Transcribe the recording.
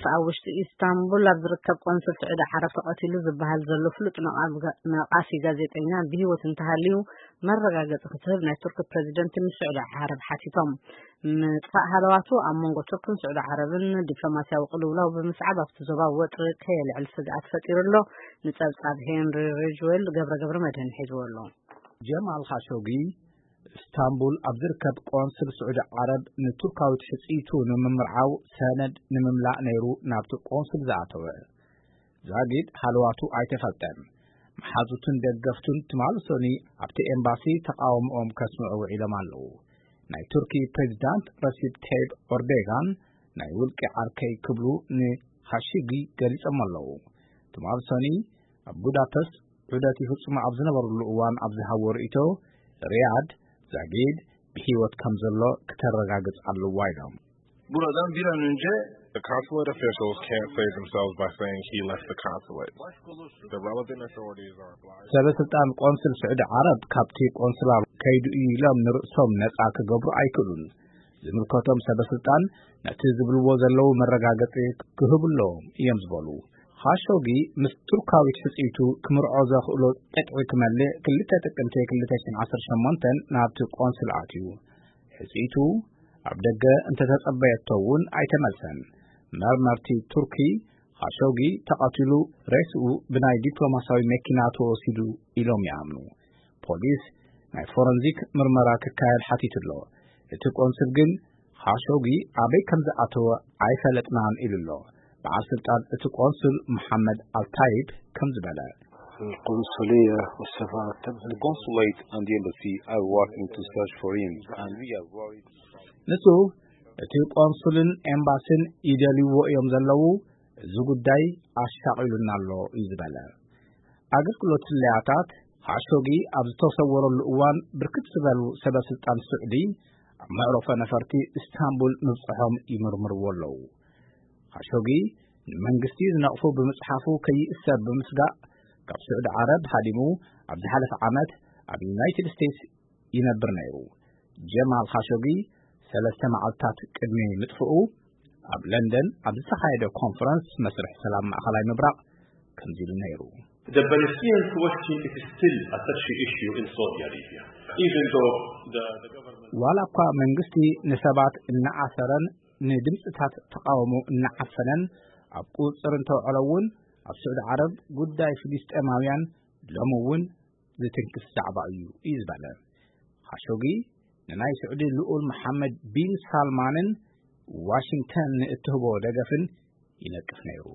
ኣብ ውሽጢ ኢስታንቡል ኣብ ዝርከብ ቆንስል ስዑዲ ዓረብ ተቐቲሉ ዝበሃል ዘሎ ፍሉጥ ነቓፊ ጋዜጠኛ ብህይወት እንተሃልዩ መረጋገፂ ክትህብ ናይ ቱርክ ፕሬዚደንት ንስዑዲ ዓረብ ሓቲቶም። ምጥፋእ ሃለዋቱ ኣብ መንጎ ቱርክን ስዑዲ ዓረብን ዲፕሎማሲያዊ ቅልውላው ብምስዓብ ኣብቲ ዞባ ወጥሪ ከየልዕል ስግኣት ፈጢሩ ኣሎ። ንፀብፃብ ሄንሪ ሪጅዌል ገብረ ገብረ መድህን ሒዝዎ ኣሎ። ጀማል ካሾጊ እስታንቡል ኣብ ዝርከብ ቆንስል ስዑዲ ዓረብ ንቱርካዊት ሕጽይቱ ንምምርዓው ሰነድ ንምምላእ ነይሩ ናብቲ ቆንስል ዝኣተወ። ዛጊድ ሃለዋቱ ኣይተፈልጠን። መሓዙትን ደገፍቱን ትማሊ ሰኑይ ኣብቲ ኤምባሲ ተቓውሞኦም ከስምዑ ውዒሎም ኣለዉ። ናይ ቱርኪ ፕሬዚዳንት ረሲብ ተይብ ኦርዴጋን ናይ ውልቂ ዓርከይ ክብሉ ንኻሺጊ ገሊጾም ኣለዉ። ትማሊ ሰኑይ ኣብ ቡዳፐስት ዑደት ይፍጽሙ ኣብ ዝነበሩሉ እዋን ኣብ ዝሃቦ ርእይቶ፣ ሪያድ ዛጊድ ብህይወት ከም ዘሎ ክተረጋግጽ ኣለዋ ኢሎም። Buradan bir an önce The consulate officials can't save themselves by saying he left the consulate. The relevant authorities are obliged. ሰበ ስልጣን ቆንስል ስዑዲ ዓረብ ካብቲ ቆንስላ ከይዱ እዩ ኢሎም ንርእሶም ነጻ ክገብሩ ኣይክእሉን። ዝምልከቶም ሰበ ስልጣን ነቲ ዝብልዎ ዘለዉ መረጋገጺ ክህቡ ኣለዎም እዮም ዝበሉ። ኻሾጊ ምስ ቱርካዊት ሕጽይቱ ክምርዖ ዘኽእሎ ቅጥዒ ክመልእ ክልተ ጥቅምቲ ክልተ ሽሕን ዓሰርተ ሸሞንተን ናብቲ ቆንስል ኣትዩ። ሕጽይቱ ኣብ ደገ እንተተጸበየቶ እውን ኣይተመልሰን። መርመርቲ ቱርኪ ኻሾጊ ተቐቲሉ ሬስኡ ብናይ ዲፕሎማሲያዊ መኪና ተወሲዱ ኢሎም ይኣምኑ። ፖሊስ ናይ ፎረንዚክ ምርመራ ክካየድ ሓቲቱ ኣሎ። እቲ ቆንስል ግን ኻሾጊ ኣበይ ከም ዝኣተወ ኣይፈለጥናን ኢሉ ኣሎ። በዓል ስልጣን እቲ ቆንስል መሓመድ ኣልታይብ ከም ዝበለ፣ القنصلية والسفارة تبذل The consulate and the embassy are working to search for him, and we are worried. ንሱ እቲ ቆንሱልን ኤምባሲን ይደልይዎ እዮም ዘለዉ። እዚ ጉዳይ ኣሻቒሉና ኣሎ እዩ ዝበለ። ኣገልግሎት ስለያታት ኻሾጊ ኣብ ዝተሰወረሉ እዋን ብርክት ዝበሉ ሰበ ስልጣን ስዑዲ ኣብ መዕረፎ ነፈርቲ እስታንቡል ምብፅሖም ይምርምርዎ ኣለዉ። ኻሾጊ ንመንግስቲ ዝነቕፉ ብምፅሓፉ ከይእሰር ብምስጋእ ካብ ስዑዲ ዓረብ ሃዲሙ ኣብ ዝሓለፈ ዓመት ኣብ ዩናይትድ ስቴትስ ይነብር ነይሩ። ጀማል ኻሾጊ ሰለስተ መዓልታት ቅድሚ ምጥፍኡ ኣብ ለንደን ኣብ ዝተኻየደ ኮንፈረንስ መስርሕ ሰላም ማእኸላይ ምብራቕ ከምዚ ኢሉ ነይሩ። The Palestinian question is still a touchy issue in Saudi Arabia, even though the, the government ዋላ እኳ መንግስቲ ንሰባት እናኣሰረን ንድምፅታት ተቃውሞ እናዓፈነን ኣብ ቁፅፅር እንተውዕሎ እውን ኣብ ስዑዲ ዓረብ ጉዳይ ፍልስጤማውያን ሎሚ እውን ዝትንክፍ ዛዕባ እዩ እዩ ዝበለ። ኻሾጊ ንናይ ስዑዲ ልኡል መሓመድ ቢን ሳልማንን ዋሽንግተን ንእትህቦ ደገፍን ይነቅፍ ነይሩ።